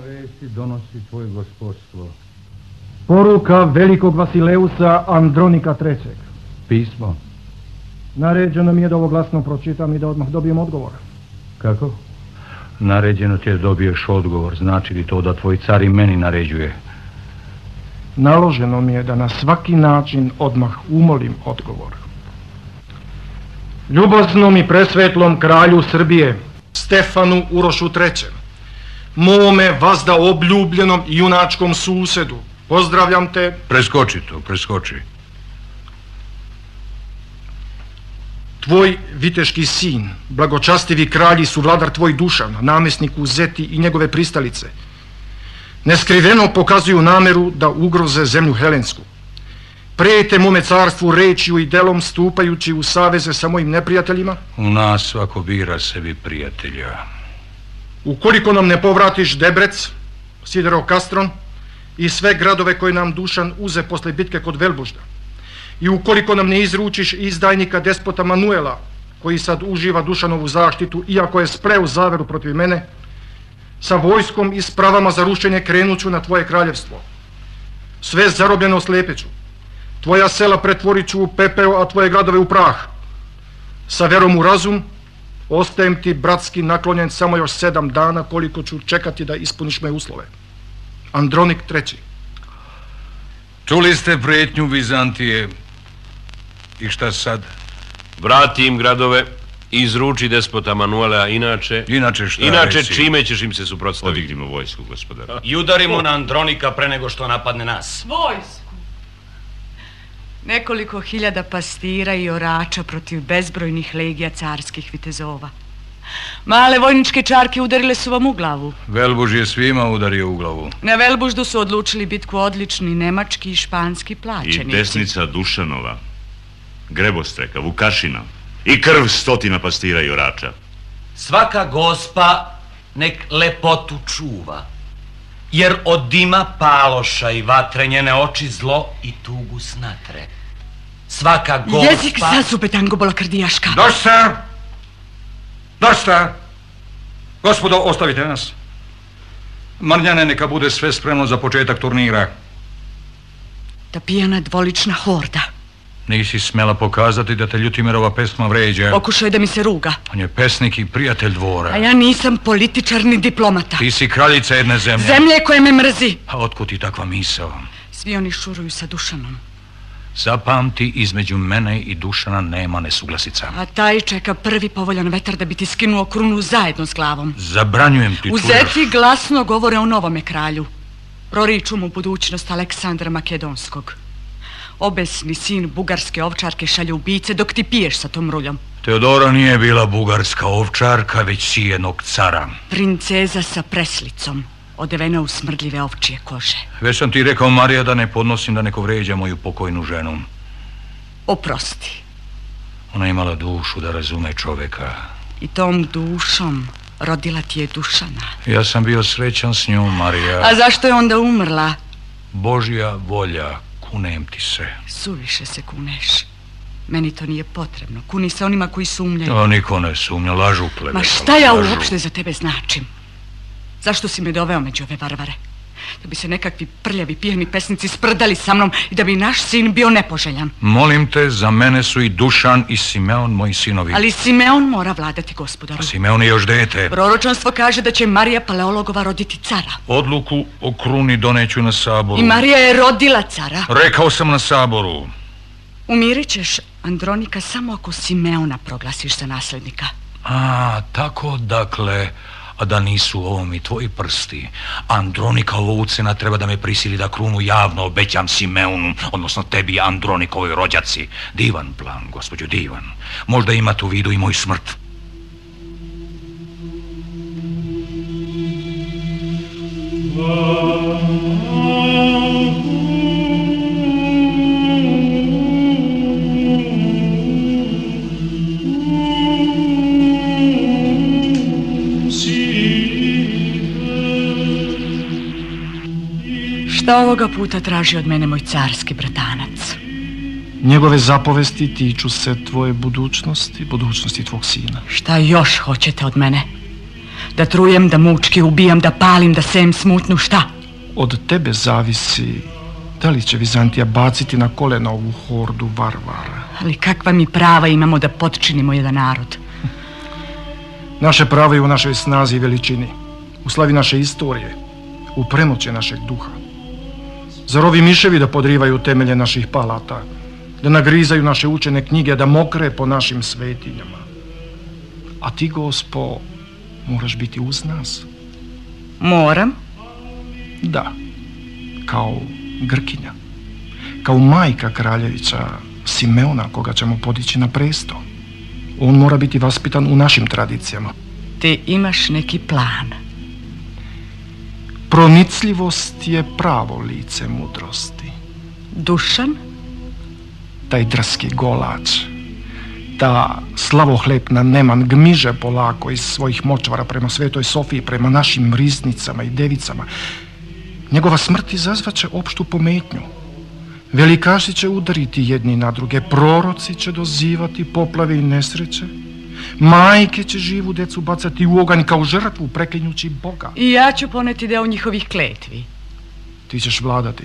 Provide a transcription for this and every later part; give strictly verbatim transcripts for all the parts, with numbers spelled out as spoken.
vesti donosi tvoj gospodstvo. Poruka velikog Vasileusa Andronika trećeg. Pismo? Naređeno mi je da ovo glasno pročitam i da odmah dobijem odgovor. Kako? Naređeno ti je da dobiješ odgovor. Znači li to da tvoj car i meni naređuje? Naloženo mi je da na svaki način odmah umolim odgovor. Ljubaznom i presvetlom kralju Srbije, Stefanu Urošu trećem, mome vazda obljubljenom i junačkom susedu, pozdravljam te... Preskoči to, preskoči. Tvoj viteški sin, blagočastivi kralj i suvladar tvoj Dušan, namjesnik u Zeti i njegove pristalice, neskriveno pokazuju nameru da ugroze zemlju Helensku. Prijete mome carstvu rečju i delom stupajući u saveze sa mojim neprijateljima. U nas svako bira sebi prijatelja. Ukoliko nam ne povratiš Debrec, Siderov Kastron i sve gradove koje nam Dušan uze posle bitke kod Velbužda, i ukoliko nam ne izručiš izdajnika despota Manuela, koji sad uživa Dušanovu zaštitu, iako je spreo zaveru protiv mene, sa vojskom i spravama za rušenje krenuću na tvoje kraljevstvo. Sve zarobljeno slepeću. Tvoja sela pretvorit ću u pepeo, a tvoje gradove u prah. Sa verom u razum, ostajem ti bratski naklonjen samo još sedam dana, koliko ću čekati da ispuniš moje uslove. Andronik treći. Čuli ste prijetnju Vizantije. I šta sad? Vrati im gradove, izruči despota Manuela, inače... Inače šta? Inače reci? Čime ćeš im se suprotstaviti? Odignimo vojsku, gospodara. I udarimo na Andronika pre nego što napadne nas. Vojsku. Nekoliko hiljada pastira i orača protiv bezbrojnih legija carskih vitezova. Male vojničke čarke udarile su vam u glavu. Velbuž je svima udario u glavu. Na Velbuždu su odlučili bitku odlični nemački i španski plaćenici. I desnica Dušanova, Grebostreka, Vukašina i krv stotina pastira i orača. Svaka gospa nek lepotu čuva, jer od dima paloša i vatre njene oči zlo i tugu snatre. Svaka gospa... Jezik za zube, tangobola krdijaška. Dosta! Dosta! Gospodo, ostavite nas. Marnjane, neka bude sve spremno za početak turnira. Ta pijana dvolična horda. Nisi smela pokazati da te Ljutimirova pesma vređa. Pokušaj da mi se ruga. On je pesnik i prijatelj dvora. A ja nisam političar ni diplomata. Ti si kraljica jedne zemlje. Zemlje koje me mrzi. A otkud ti takva misao? Svi oni šuruju sa Dušanom. Zapamti, između mene i Dušana nema nesuglasica. A taj čeka prvi povoljan vetar da bi ti skinuo krunu zajedno s glavom. Zabranjujem ti, U čuješ? Zeti glasno govore o novome kralju. Proriču mu budućnost Aleksandra Makedonskog. Obesni sin bugarske ovčarke šalje ubice dok ti piješ sa tom ruljom. Teodora nije bila bugarska ovčarka, već sijenog cara. Princeza sa preslicom, odevena u smrdljive ovčije kože. Već sam ti rekao, Marija, da ne podnosim da neko vređa moju pokojnu ženu. Oprosti. Ona je imala dušu da razume čoveka. I tom dušom rodila ti je Dušana. Ja sam bio srećan s njom, Marija. A zašto je onda umrla? Božja volja, kunem ti se. Suviše se kuneš. Meni to nije potrebno. Kuni se onima koji sumnjaju. O, niko ne sumnja, lažu plebe. Ma šta ja uopšte za tebe značim? Zašto si me doveo među ove varvare? Da bi se nekakvi prljavi pijani pesnici sprdali sa mnom i da bi naš sin bio nepoželjan. Molim te, za mene su i Dušan i Simeon moji sinovi. Ali Simeon mora vladati, gospodaru. A Simeon je još dete. Proročanstvo kaže da će Marija Paleologova roditi cara. Odluku o kruni doneću na saboru. I Marija je rodila cara. Rekao sam na saboru. Umirit ćeš Andronika samo ako Simeona proglasiš za naslednika. A, tako dakle... A da nisu ovo mi tvoji prsti. Andronikova ucena treba da me prisili da krunu javno obećam Simeonu, odnosno tebi, Andronikovoj rođaci. Divan plan, gospođo, divan. Možda imate u vidu i moju smrt. Šta ovoga puta traži od mene moj carski bratanac? Njegove zapovesti tiču se tvoje budućnosti, budućnosti tvog sina. Šta još hoćete od mene? Da trujem, da mučki ubijam, da palim, da sejem smutnju, šta? Od tebe zavisi da li će Vizantija baciti na kolena ovu hordu varvara. Ali kakva mi prava imamo da potčinimo jedan narod? Naše pravo je u našoj snazi i veličini, u slavi naše istorije, u premoći našeg duha. Zar ovi miševi da podrivaju temelje naših palata, da nagrizaju naše učene knjige, da mokre po našim svetinjama? A ti, Gospo, moraš biti uz nas. Moram? Da, kao Grkinja, kao majka kraljevića Simeona, koga ćemo podići na presto. On mora biti vaspitan u našim tradicijama. Ti imaš neki plan. Pronicljivost je pravo lice mudrosti. Dušan? Taj drski golač, ta slavohlepna Neman gmiže polako iz svojih močvara prema Svetoj Sofiji, prema našim riznicama i devicama. Njegova smrt izazvaće opštu pometnju. Velikaši će udariti jedni na druge, proroci će dozivati poplave i nesreće, majke će živu decu bacati u oganj kao žrtvu preklinjući Boga. I ja ću poneti deo njihovih kletvi. Ti ćeš vladati.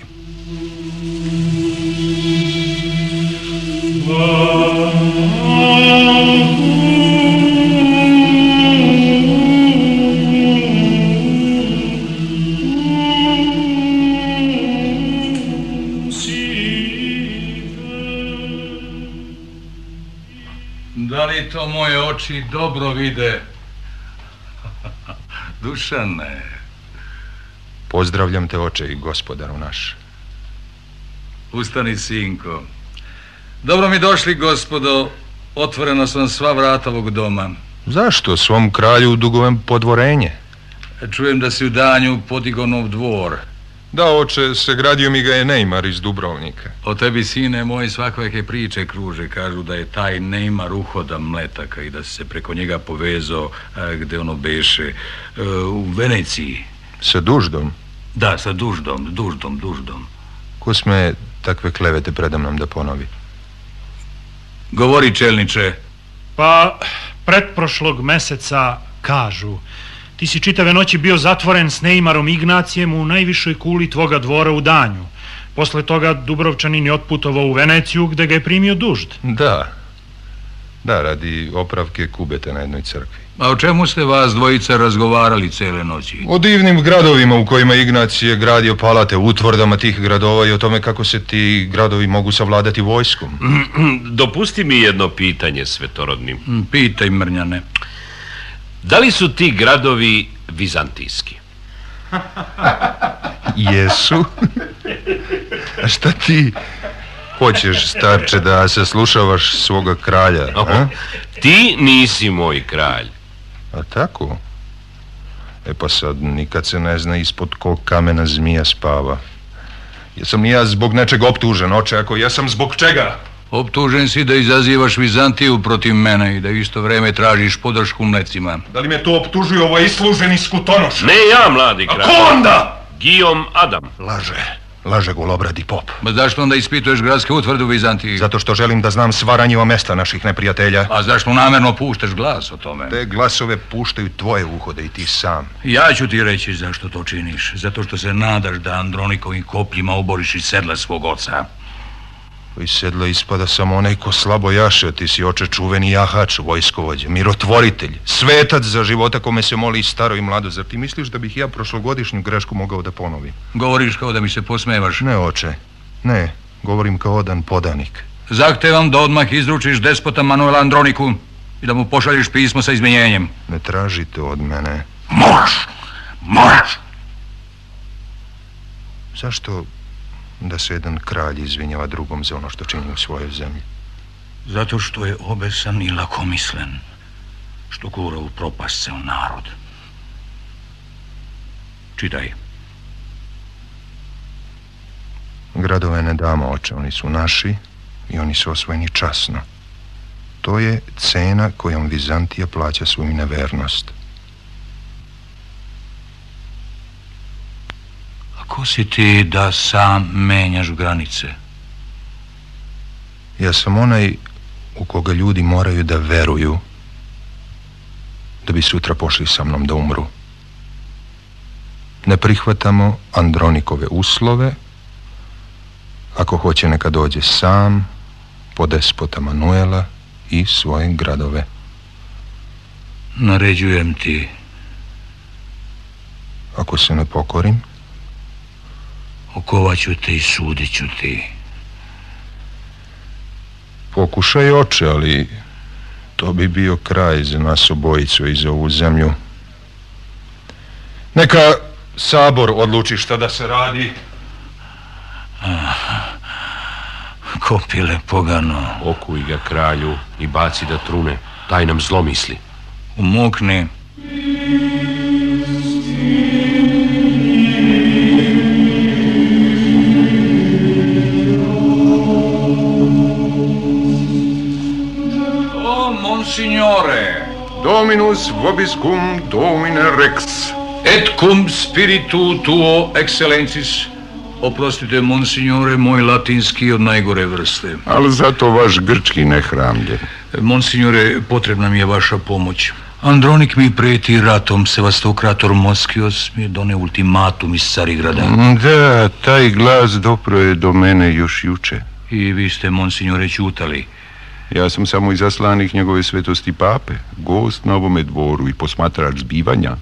Da li to moje oči dobro vide? Dušane. Pozdravljam te, oče i gospodaru naš. Ustani, sinko. Dobro mi došli, gospodo. Otvorena su vam sva vrata ovog doma. Zašto? Svom kralju dugujem podvorenje. Čujem da si u danju podigao nov dvor. Da, oče, sagradio mi ga je Neymar iz Dubrovnika. O tebi, sine moj, svakojake priče kruže. Kažu da je taj Neymar uhoda Mletaka i da se preko njega povezao a, gde ono beše, a, u Veneciji. Sa Duždom? Da, sa Duždom, Duždom, Duždom. Ko sme takve klevete predamnom da ponovi? Govori, čelniče. Pa, pretprošlog meseca kažu, ti si čitave noći bio zatvoren s Neymarom Ignacijem u najvišoj kuli tvoga dvora u danju. Posle toga Dubrovčanin je otputovao u Veneciju gde ga je primio Dužd. Da, da, radi opravke kubeta na jednoj crkvi. A o čemu ste vas dvojica razgovarali cele noći? O divnim gradovima u kojima Ignacije gradio palate, utvrdama tih gradova i o tome kako se ti gradovi mogu savladati vojskom. Dopusti mi jedno pitanje, svetorodni. Pitaj, Mrnjane. Da li su ti gradovi vizantijski? Jesu. A šta ti hoćeš, starče, da se slušavaš svoga kralja? Oh, a? Ti nisi moj kralj. A tako? E pa sad nikad se ne zna ispod kog kamena zmija spava. Jesam li ja zbog nečeg optužen, oče? Ako jesam, zbog čega? Optužen si da izazivaš Vizantiju protiv mene i da isto vreme tražiš podršku Mlecima. Da li me to optužuje ovaj isluženi skutonoš? Ne ja, mladi kralj. A ko onda? Guillaume Adam. Laže. Laže golobradi pop. Ma zašto onda ispituješ gradske utvrde u Vizantiji? Zato što želim da znam sva ranjiva mesta naših neprijatelja. A zašto namerno puštaš glas o tome? Te glasove puštaju tvoje uhode i ti sam. Ja ću ti reći zašto to činiš. Zato što se nadaš da Andronikovim kopljima oboriš iz sedla svog oca. Iz sedla ispada samo onaj ko slabo jaše. Ti si, oče, čuveni jahač, vojskovođa, mirotvoritelj, svetac za života kome se moli i staro i mlado. Zar ti misliš da bih ja prošlogodišnju grešku mogao da ponovim? Govoriš kao da mi se posmevaš. Ne, oče, ne, govorim kao odan podanik. Zahtevam da odmah izručiš despota Manuela Androniku i da mu pošalješ pismo sa izmenjenjem. Ne tražite od mene. Moraš, moraš. Zašto da se jedan kralj izvinjava drugom za ono što čini u svojoj zemlji? Zato što je obesan i lakomislen, što gura u propast ceo narod. Čitaj. Gradove ne damo, oče, oni su naši i oni su osvojeni časno. To je cena kojom Vizantija plaća svoju nevernost. Ko si ti da sam menjaš granice? Ja sam onaj u koga ljudi moraju da veruju da bi sutra pošli sa mnom da umru. Ne prihvatamo Andronikove uslove. Ako hoće, neka dođe sam po despota Manuela i svoje gradove. Naređujem ti. Ako se ne pokorim? Okovaću te i sudit ću ti. Pokušaj, oče, ali to bi bio kraj za nas obojicu i za ovu zemlju. Neka sabor odluči šta da se radi. Ah, kopile pogano. Okuj ga, kralju, i baci da trune. Taj nam zlo misli. Umokni. O, monsignore, Dominus vobiscum Domine Rex. Et cum spiritu tuo excellencis. Oprostite, monsignore, moj latinski od najgore vrste. Ali zato vaš grčki ne hramlje. Monsignore, potrebna mi je vaša pomoć. Andronik mi preti ratom, Sevastokrator Moskios mi je doneo ultimatum iz Carigrada. Da, taj glas dopro je do mene još juče. I vi ste, monsignore, ćutali. Ja sam samo izaslanik njegove svetosti pape, gost na ovome dvoru i posmatrač zbivanja,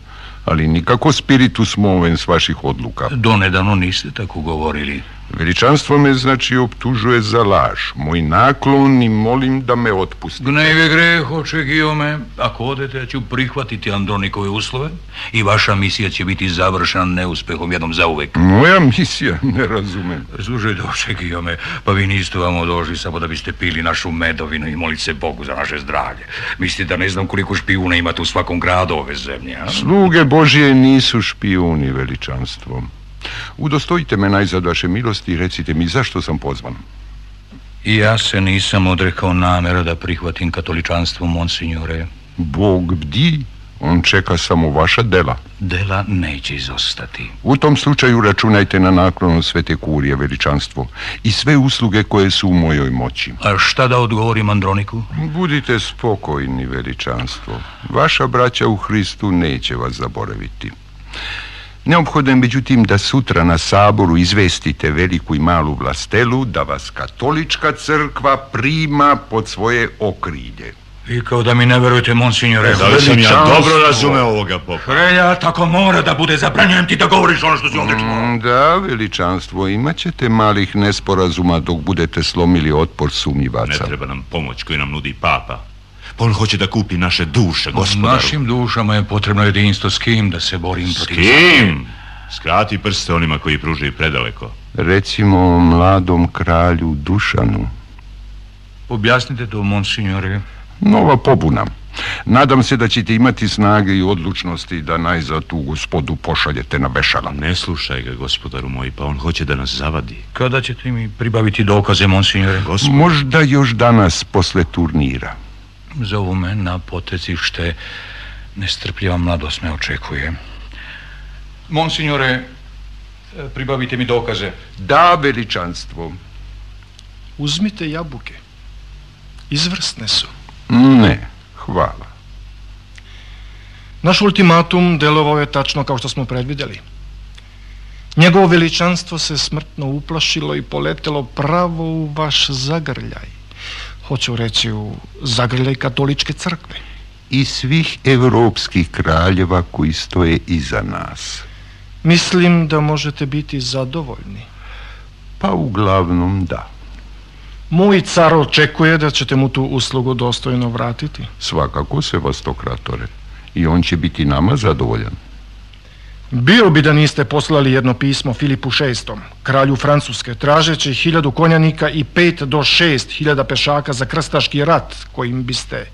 ali nikako spiritus movens vaših odluka. Donedavno niste tako govorili. Veličanstvo me, znači, optužuje za laž. Moj naklon i molim da me otpustite. Gnjev je greh, oče Gijome. Ako odete, ja ću prihvatiti Andronikove uslove i vaša misija će biti završena neuspehom jednom zauvek. Moja misija? Ne razumem. Slušajte, oče Gijome, pa vi niste vamo došli samo da biste pili našu medovinu i molite se Bogu za naše zdravlje. Mislite da ne znam koliko špijuna imate u svakom gradu ove zemlje, a? Sluge Božije nisu špijuni, veličanstvo. Udostojite me najzad vaše milosti i recite mi zašto sam pozvan. I ja se nisam odrekao namera da prihvatim katoličanstvo, monsignore. Bog bdi, on čeka samo vaša dela. Dela neće izostati. U tom slučaju računajte na naklonu Svete Kurije, veličanstvo, i sve usluge koje su u mojoj moći. A šta da odgovorim Androniku? Budite spokojni, veličanstvo. Vaša braća u Hristu neće vas zaboraviti. Neophodno je, međutim, da sutra na saboru izvestite veliku i malu vlastelu da vas katolička crkva prima pod svoje okrilje. Vi kao da mi ne verujete, monsignore. Da li sam ja dobro razumeo ovoga popa? Hrelja, tako mora da bude. Zabranjujem ti da govoriš ono što si ovdje čuo. Da, veličanstvo, imat ćete malih nesporazuma dok budete slomili otpor sumnjivaca. Ne treba nam pomoć koju nam nudi papa. Pa on hoće da kupi naše duše, gospodaru. Našim dušama je potrebno jedinstvo. S kim da se borim protiv... S kim? Skrati prste onima koji pružaju predaleko. Recimo mladom kralju Dušanu. Objasnite to, monsignore. Nova pobuna. Nadam se da ćete imati snage i odlučnosti da najzad tu gospodu pošaljete na vešala. Ne slušaj ga, gospodaru moj, pa on hoće da nas zavadi. Kada ćete mi pribaviti dokaze, monsignore? Gospod... Možda još danas posle turnira. Zovu me na potecište. Nestrpljiva mladost me očekuje. Monsignore, pribavite mi dokaze. Da, veličanstvo. Uzmite jabuke. Izvrsne su. Ne, hvala. Naš ultimatum delovao je tačno kao što smo predvidjeli. Njegovo veličanstvo se smrtno uplašilo i poletelo pravo u vaš zagrljaj. Hoću reći u zagrljaj katoličke crkve. I svih evropskih kraljeva koji stoje iza nas. Mislim da možete biti zadovoljni. Pa uglavnom da. Moj car očekuje da ćete mu tu uslugu dostojno vratiti. Svakako, Sevastokratore. I on će biti nama zadovoljan. Bio bi da niste poslali jedno pismo Filipu šestom, kralju Francuske, tražeći hiljadu konjanika i pet do šest hiljada pešaka za krstaški rat, kojim biste,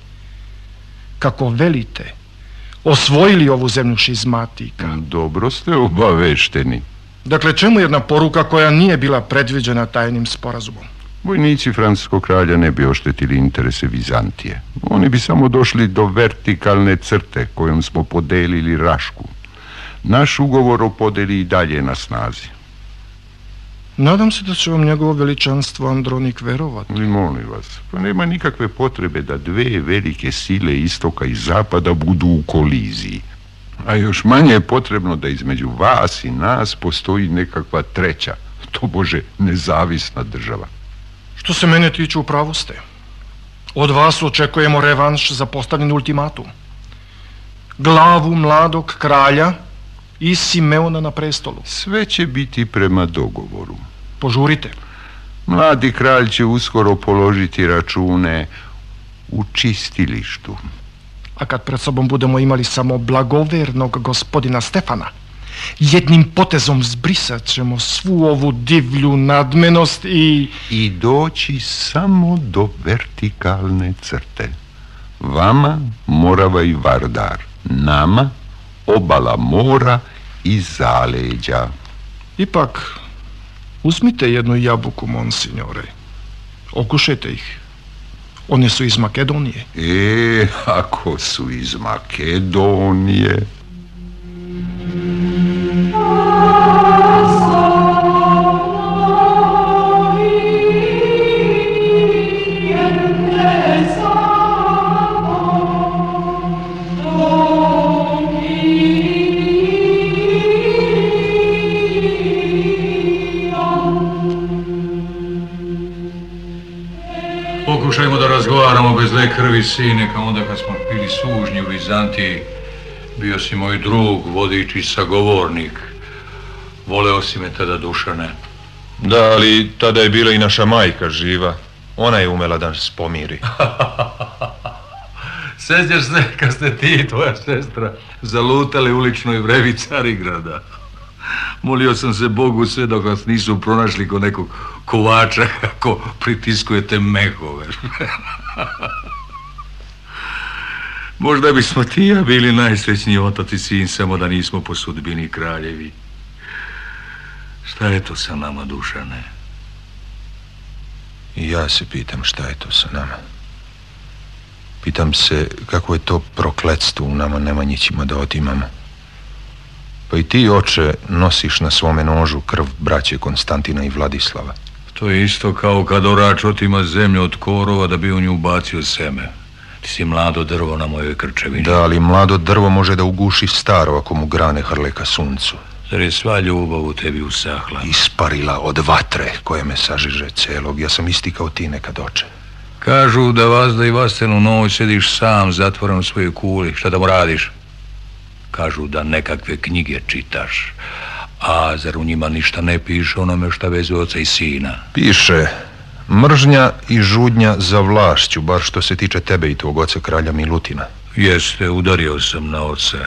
kako velite, osvojili ovu zemlju šizmatika. Dobro ste obavešteni. Dakle, čemu jedna poruka koja nije bila predviđena tajnim sporazumom? Vojnici francuskog kralja ne bi oštetili interese Vizantije. Oni bi samo došli do vertikalne crte kojom smo podelili Rašku. Naš ugovor o podeli i dalje je na snazi. Nadam se da će vam njegovo veličanstvo Andronik verovati. I molim vas, pa nema nikakve potrebe da dve velike sile istoka i zapada budu u koliziji. A još manje je potrebno da između vas i nas postoji nekakva treća, tobože nezavisna država. Što se mene tiče, u pravu ste. Od vas očekujemo revanš za postavljen ultimatum. Glavu mladog kralja i Simeona na prestolu. Sve će biti prema dogovoru. Požurite. Mladi kralj će uskoro položiti račune u čistilištu. A kad pred sobom budemo imali samo blagovernog gospodina Stefana, jednim potezom zbrisat ćemo svu ovu divlju nadmenost i... I doći samo do vertikalne crte. Vama Morava i Vardar, nama obala mora i zaleđa. Ipak, uzmite jednu jabuku, monsignore. Okušajte ih. One su iz Makedonije. E, ako su iz Makedonije... Pokušajmo da razgovaramo bez zle krvi, sine, kao onda kad smo bili sužnji u Vizantiji. Bio si moj drug, vodič i sagovornik. Voleo si me tada, Dušane. Da, ali tada je bila i naša majka živa. Ona je umela da nas pomiri. Sjećaš se kad ste ti i tvoja sestra zalutali uličnoj vrevi Carigrada. Molio sam se Bogu sve dok vas nisu pronašli ko nekog kovača kako pritiskujete mehove. Možda bismo ti ja bili najsrećniji otac i sin, samo da nismo po sudbini kraljevi. Šta je to sa nama, Dušane? I ja se pitam šta je to sa nama. Pitam se kako je to prokletstvo u nama Nemanjićima da otimamo. Pa i ti, oče, nosiš na svome nožu krv braće Konstantina i Vladislava. To je isto kao kad orač otima zemlju od korova da bi u nju ubacio seme. Ti si mlado drvo na mojoj krčevini. Da, ali mlado drvo može da uguši staro ako mu grane hrle ka suncu. Zar je sva ljubav u tebi usahla? Isparila od vatre koje me sažiže celog. Ja sam isti kao ti nekad, oče. Kažu da vazda i vastenu noć sediš sam zatvoren u svojoj kuli. Šta da mu radiš? Kažu da nekakve knjige čitaš. A zar u njima ništa ne piše onome šta vezuje oca i sina? Piše mržnja i žudnja za vlašću, bar što se tiče tebe i tvog oca kralja Milutina. Jeste, udario sam na oca.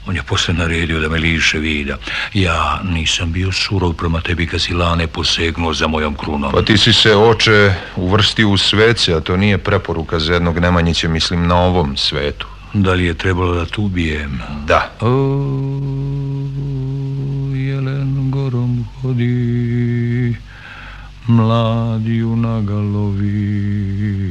On je posle naredio da me liše vida. Ja nisam bio surov prema tebi kad si lane posegnuo za mojom krunom. Pa ti si se, oče, uvrstio u svece, a to nije preporuka za jednog Nemanjića, mislim na ovom svetu. Da li je trebalo da tu ubijem? Da. O, jelen gorom hodi, mladi junaga lovi.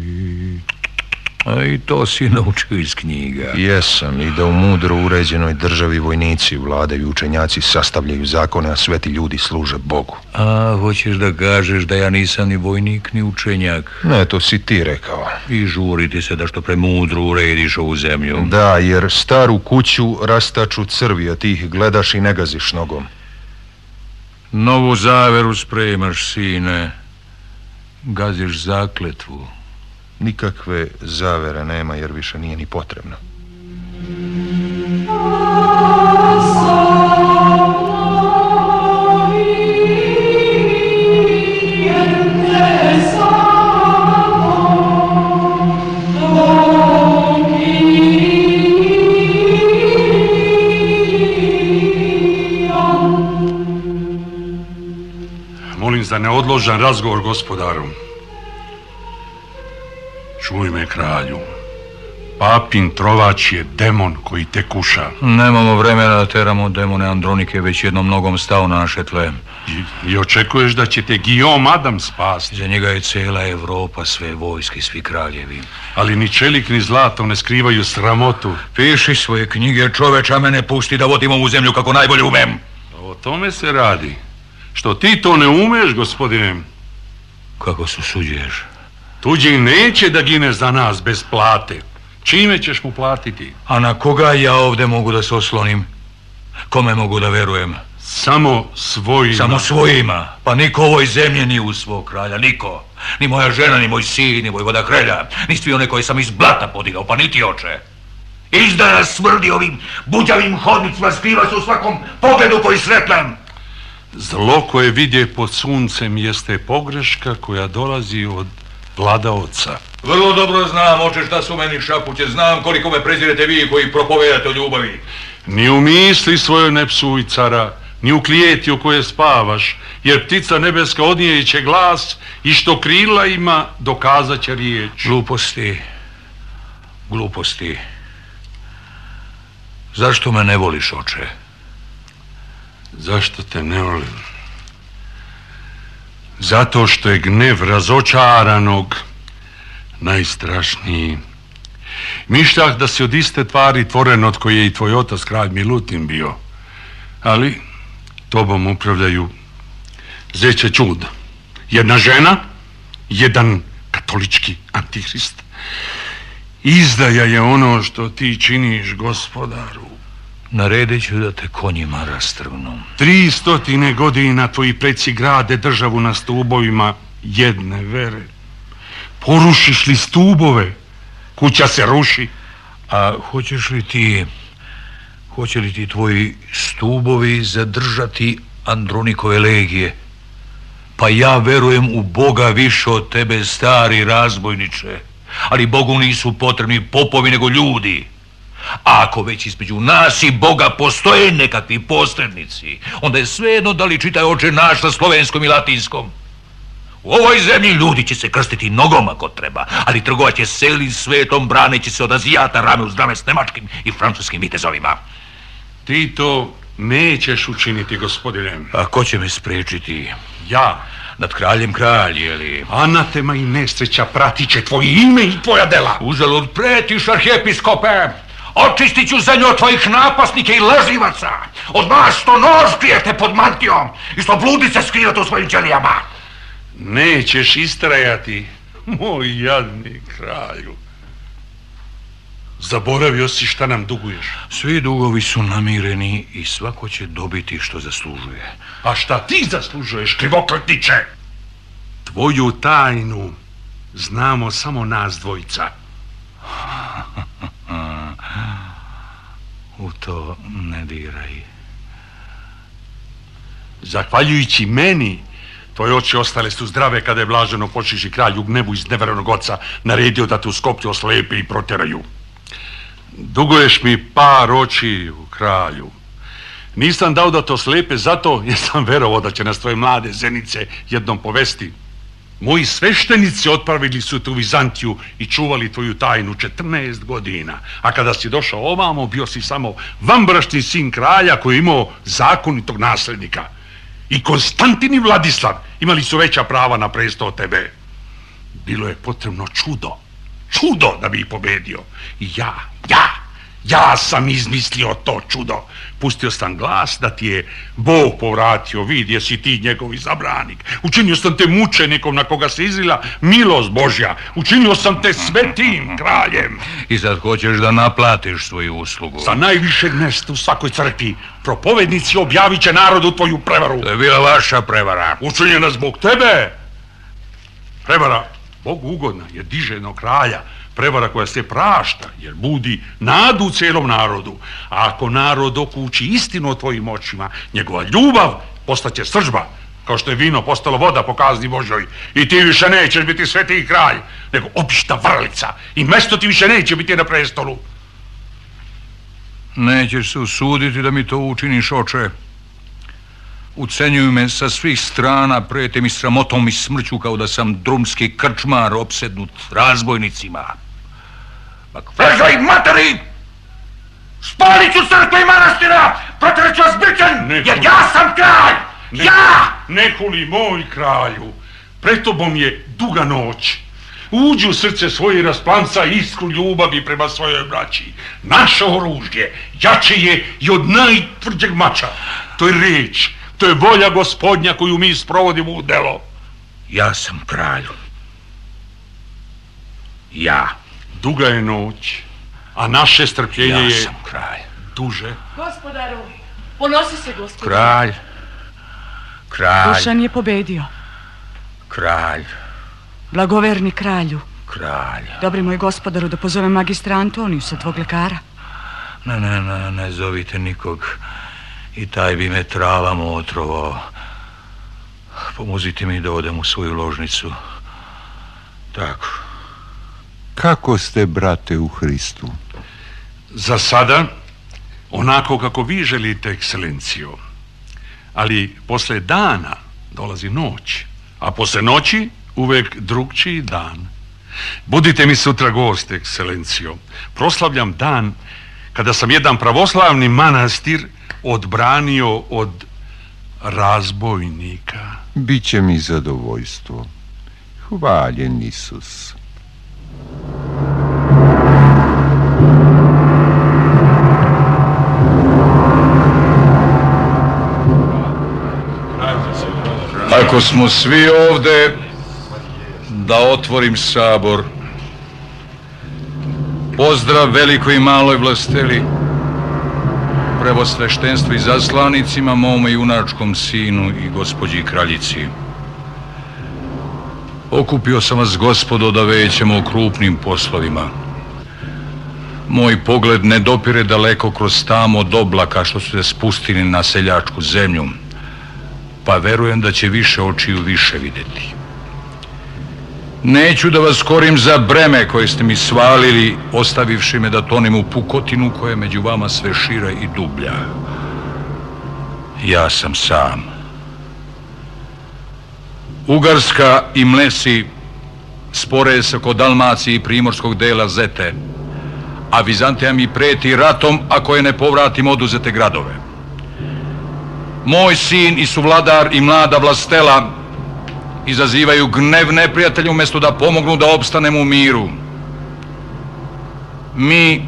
A i to si naučio iz knjiga. Jesam, i da u mudro uređenoj državi vojnici vladaju, učenjaci sastavljaju zakone, a sveti ljudi služe Bogu. A, hoćeš da kažeš da ja nisam ni vojnik, ni učenjak? Ne, to si ti rekao. I žuriti se da što premudro urediš ovu zemlju. Da, jer staru kuću rastaču crvi, a ti ih gledaš i ne gaziš nogom. Novu zaveru spremaš, sine. Gaziš zakletvu. Nikakve zavere nema, jer više nije ni potrebno. Molim za neodložan razgovor, gospodaru. Čuj me, kralju. Papin trovač je demon koji te kuša. Nemamo vremena da teramo demone Andronike, već jednom nogom stao na naše tle. I, i očekuješ da će te Guillaume Adam spasti? Za njega je cela Evropa, sve vojske, svi kraljevi. Ali ni čelik ni zlato ne skrivaju sramotu. Piši svoje knjige, čoveč, a mene pusti da vodim ovu zemlju kako najbolje umem. O tome se radi. Što ti to ne umeš, gospodine? Kako se usuđuješ? Tuđi neće da gine za nas bez plate. Čime ćeš mu platiti? A na koga ja ovdje mogu da se oslonim? Kome mogu da verujem? Samo svojima. Samo svojima. Pa niko u ovoj zemlji nije uz svog kralja, niko. Ni moja žena, ni moj sin, ni vojvoda Hrelja. Ni svi one koje sam iz blata podigao, pa niti oče. Izdaja smrdi ovim buđavim hodnicima, skriva se u svakom pogledu koji sretnem. Zlo koje vidje pod suncem jeste pogreška koja dolazi od vladaoca. Vrlo dobro znam, oče, šta su meni šapuće. Znam koliko me prezirete vi koji propovedate o ljubavi. Ni u misli svojoj ne psuj, cara, ni u klijeti u koje spavaš, jer ptica nebeska odnijeće glas i što krila ima dokazat će riječ. Gluposti, gluposti. Zašto me ne voliš, oče? Zašto te ne volim? Zato što je gnev razočaranog najstrašniji. Mišljah da si od iste tvari tvoren od koje je i tvoj otac kralj Milutin bio. Ali tobom upravljaju zeće čuda. Jedna žena, jedan katolički antihrist. Izdaja je ono što ti činiš, gospodaru. Naredit ću da te konjima rastrvnu. Tri stotine godina tvoji preci grade državu na stubovima jedne vere. Porušiš li stubove, kuća se ruši. A hoćeš li ti, hoće li ti tvoji stubovi zadržati Andronikove legije? Pa ja verujem u Boga više od tebe, stari razbojniče. Ali Bogu nisu potrebni popovi nego ljudi. A ako već između nas i Boga postoje nekakvi posrednici, onda je svejedno da li čitaj oče naš na slovenskom i latinskom. U ovoj zemlji ljudi će se krstiti nogom ako treba, ali trgovat će celim svetom braneći se od Azijata rame uz rame s nemačkim i francuskim vitezovima. Ti to nećeš učiniti, gospodine. A ko će me sprečiti? Ja. Nad kraljem kralj, jeli? Anatema i nesreća pratit će tvoje ime i tvoja dela. Uzalud pretiš, arhijepiskope! Očistit ću zemlju od tvojih napasnike i lažljivaca. Od vas što nož krijete pod mantijom i što bludice skrivate u svojim ćelijama. Nećeš istrajati, moj jadni kralju. Zaboravio si šta nam duguješ. Svi dugovi su namireni i svako će dobiti što zaslužuje. A šta ti zaslužuješ, krivokletniče? Tvoju tajnu znamo samo nas dvojica. U to ne diraj. Zahvaljujući meni, tvoje oči ostale su zdrave kada je blaženo počiši kralj u gnevu iz neverenog oca naredio da te u Skoplju oslepe i proteraju. Duguješ mi par očiju, kralju. Nisam dao da to slepe zato jer sam verovao da će nas tvoje mlade zenice jednom povesti. Moji sveštenici otpravili su te u Vizantiju i čuvali tvoju tajnu četrnaest godina, a kada si došao ovamo bio si samo vanbrašni sin kralja koji je imao zakonitog naslednika. I Konstantin i Vladislav imali su veća prava na presto od tebe. Bilo je potrebno čudo, čudo da bi ih pobedio. I ja, ja, ja sam izmislio to čudo. Pustio sam glas da ti je Bog povratio, vidi jesi ti njegov izabranik. Učinio sam te mučenikom na koga se izlila milost Božja. Učinio sam te svetim kraljem. I sad hoćeš da naplatiš svoju uslugu. Sa najvišeg mjesta u svakoj crkvi propovednici objavit će narodu tvoju prevaru. To je bila vaša prevara. Učinjena zbog tebe. Prevara Bogu ugodna jer diže jednog kralja. Prevara koja se prašta jer budi nadu u cijelom narodu. A ako narod okući istinu o tvojim očima, njegova ljubav postaće sržba, kao što je vino postalo voda po kazni Božoj. I ti više nećeš biti sveti kralj, nego obična vrlica. I mjesto ti više neće biti na prestolu. Nećeš se usuditi da mi to učiniš, oče. Ucenjuju me sa svih strana, prijete mi sramotom i smrću kao da sam drumski krčmar opsednut razbojnicima. Vežaj materi! Spalit ću crkve i manastira! Protjerat ću vas bićem, jer ja sam kralj! Ne, ja! Ne huli moj kralju, pred tobom je duga noć. Uđi u srce svoje i rasplanca iskru ljubavi prema svojoj braći. Naše oružje jače je i od najtvrđeg mača. To je riječ, to To je volja Gospodnja koju mi sprovodimo u delo. Ja sam kralj. Ja. Duga je noć, a naše strpljenje je... Ja sam kralj. Duže. Gospodaru, ponosi se, gospodaru. Kralj. Kralj. Dušan je pobedio. Kralj. Blagoverni kralju. Kralj. Dobri moj gospodaru, da pozovem magistra Antonijusa, tvog lekara. Ne, ne, ne, ne zovite nikog. I taj bi me travama otrovao. Pomozite mi da odem u svoju ložnicu. Tako. Kako ste, brate, u Hristu? Za sada, onako kako vi želite, ekscelencijo. Ali posle dana dolazi noć, a posle noći uvek drugčiji dan. Budite mi sutra gost, ekscelencijo. Proslavljam dan kada sam jedan pravoslavni manastir odbranio od razbojnika. Biće mi zadovoljstvo. Hvaljen Isus. Ako smo svi ovde, da otvorim sabor. Pozdrav velikoj i maloj vlasteli, prevosveštenstvu i zaslanicima, mome junačkom sinu i gospođi kraljici. Okupio sam vas, gospodo, da većemo o krupnim poslovima. Moj pogled ne dopire daleko kroz tamo od oblaka što su se spustili na seljačku zemlju, pa verujem da će više očiju više vidjeti. Neću da vas korim za breme koje ste mi svalili, ostavivši me da tonem u pukotinu koja je među vama sve šira i dublja. Ja sam sam. Ugarska i Mlesi spore se oko Dalmacije i primorskog dela Zete, a Vizantija mi preti ratom ako je ne povratim oduzete gradove. Moj sin i suvladar i mlada vlastela izazivaju gnev neprijatelja umjesto da pomognu da opstanemo u miru. Mi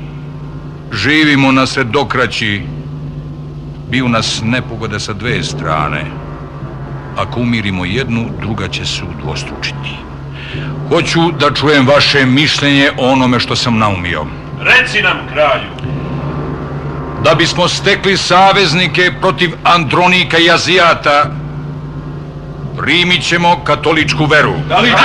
živimo na sredokraći, biju nas nepogode sa dve strane. Ako umirimo jednu, druga će se udvostručiti. Hoću da čujem vaše mišljenje o onome što sam naumio. Reci nam, kralju. Da bismo stekli saveznike protiv Andronika i Azijata, primit ćemo katoličku veru. Da li ćemo?